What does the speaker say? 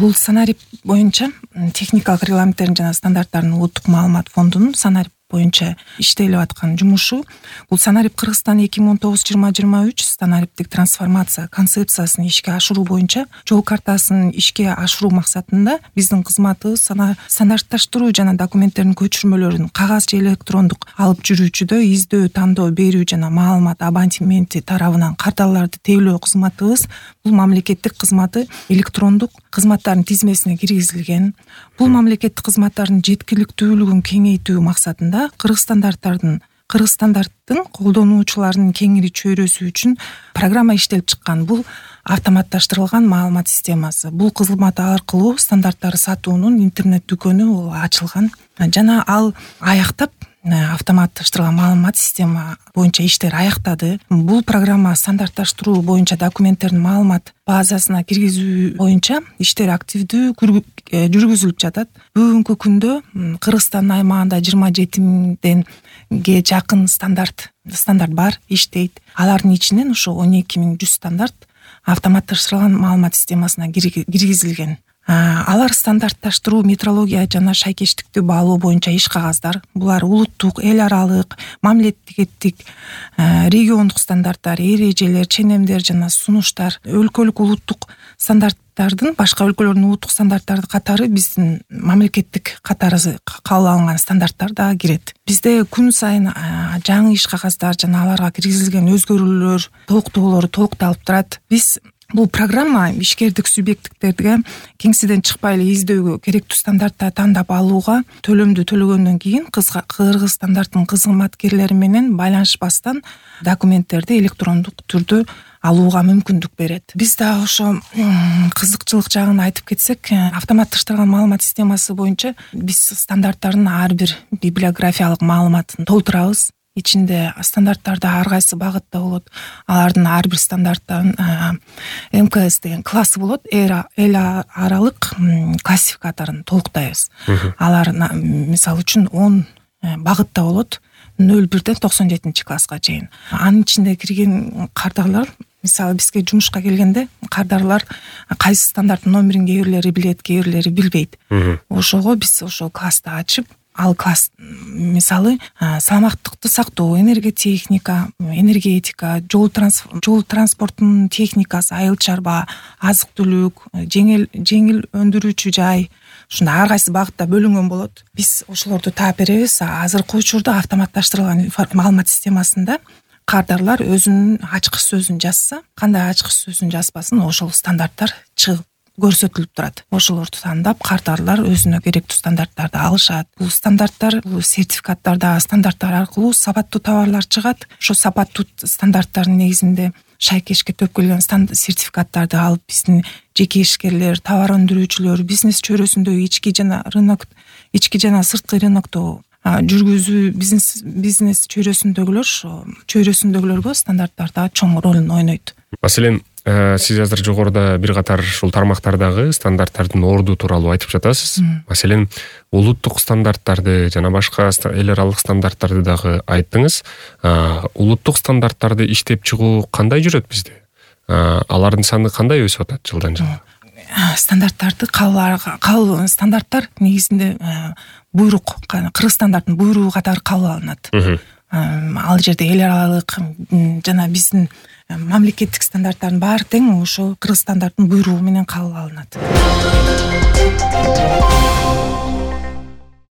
Бул Санарип боюнча техникалык регламенттердин жана стандарттардын улуттук маалымат фондунун Санарип боюнча иштелип аткан жумушу. Бул Санарип Кыргызстан 2019-2023 Санариптик трансформация концепциясын ишке ашыруу боюнча жол картасын ишке ашыруу максатында биздин кызматыбыз стандартташтыруу жана документтердин көчүрмөлөрүн кагаз же электрондук алып жүрүүчүдө издөө, тандоо берүү жана маалымат абонементи тарабынан карталарды тейлөө кызматыбыз бул мамлекеттик кызматы электрондук кызматтардын тизмесине киргизилген. Бул мамлекеттик кызматтардын жеткиликтүүлүгүн кеңейтүү максатында Кыргыз стандарттын колдонуучуларынын кеңири чөйрөсү үчүн программа иштелип чыккан. Бул автоматташтырылган маалымат системасы. Бул кызмат аркылуу стандарттарды сатуунун интернет дүкөнү ачылган жана ал аяктап автоматташтырылган маалымат система боюнча иштер аяктады. Бул программа стандартташтыруу боюнча документтердин маалымат базасына киргизүү боюнча иштер активдүү жүргүзүлүп жатат. Бүгүнкү күндө Кыргызстан аймагында 27 жакын стандарт бар, иштейт. Алардын ичинен ошо 12100 стандарт автоматташтырылган маалымат системасына киргизилген. Алар стандартташтыруу, метрология жана шайкештиктүү баалоо боюнча иш кагаздар. Булар улуттук, эл аралык, мамлекеттик, региондук стандарттар, эрежелер, ченемдер жана сунуштар, өлкөлүк улуттук стандарттардын, башка өлкөлөрдүн улуттук стандарттары катары биздин мамлекеттик катары кабыл алынган стандарттар да кирет. Бизде күн сайын жаңы иш кагаздар жана аларга киргизилген өзгөрүүлөр, толуктоолор толукталып турат. Биз бул программа ишкердик субъекттерге кеңседен чыкпай эле издөөгө керектүү стандарттарды тандап алууга төлөмдү төлөгөндөн кийин Кыргыз стандарттын кызматкерлери менен байланышпастан документтерди электрондук түрдө алууга мүмкүндүк берет. Биз да ошо кызыкчылык жагын айтып кетсек, автоматташтырылган маалымат системасы боюнча биз стандарттардын ар бир библиографиялык маалыматын толтурабыз. Ичинде стандарттарда ар кайсы багытта болот. Алардын ар бир стандарттын МКС деген классы болот. Эл аралык классификаторун толуктайбыз. Алар мисалы үчүн 10 багытта болот. 01ден 97 класска чейин. Анын ичинде кирген кардарлар, мисалы бизге жумушка келгенде кардарлар кайсы стандарттын номерин кээ бирлери билет, кээ бирлери билбейт. Ошого биз ошо классты ачып, ал класс мисалы саламаттыкты сактоо, энергетика, жол транспорттун техникасы, айыл чарба, азык-түлүк, жеңил өндүрүүчү жай, ушундай ар кайсы багытта бөлүнгөн болот. Биз ошолорду таап беребиз. Азыркы учурда автоматташтырылган маалымат системасында кардарлар өзүнүн ачкыч сөзүн жазса, кандай ачкыч сөзүн жазбасын, ошол стандарттар чыгып көрсөтүлүп турат. Ошолорду тандап кардарлар өзүнө керектүү стандарттарды алышат. Бул стандарттар, бул сертификаттарда стандарттар аркылуу сапаттуу товарлар чыгат. Ошо сапаттуу стандарттардын негизинде шайкешке төп келген сертификаттарды алып биздин жеке ишкерлер, товар өндүрүүчүлөр, бизнес чөйрөсүндөгү ички жана сырткы рынокто жүргүзүү бизнес чөйрөсүндөгүлөргө стандарттарда чоң ролун ойнойт. Маселен, сиз азыр жогоруда бир катар ушул тармактардагы стандарттардын орду тууралуу айтып жатасыз. Маселен, улуттук стандарттарды жана башка эл аралык стандарттарды дагы айттыңыз. Улуттук стандарттарды иштеп чыгуу кандай жүрөт бизде? Алардын саны кандай өсүп атат жылдан жылга? Стандарттарды стандарттар негизинде буйрук, Кыргыз стандарттын буйругу катары кабыл алынат. Ал жерде эл аралык жана биздин мамлекеттик стандарттардын баары тең ошо Кыргыз стандарттын буйругу менен кабыл алынат.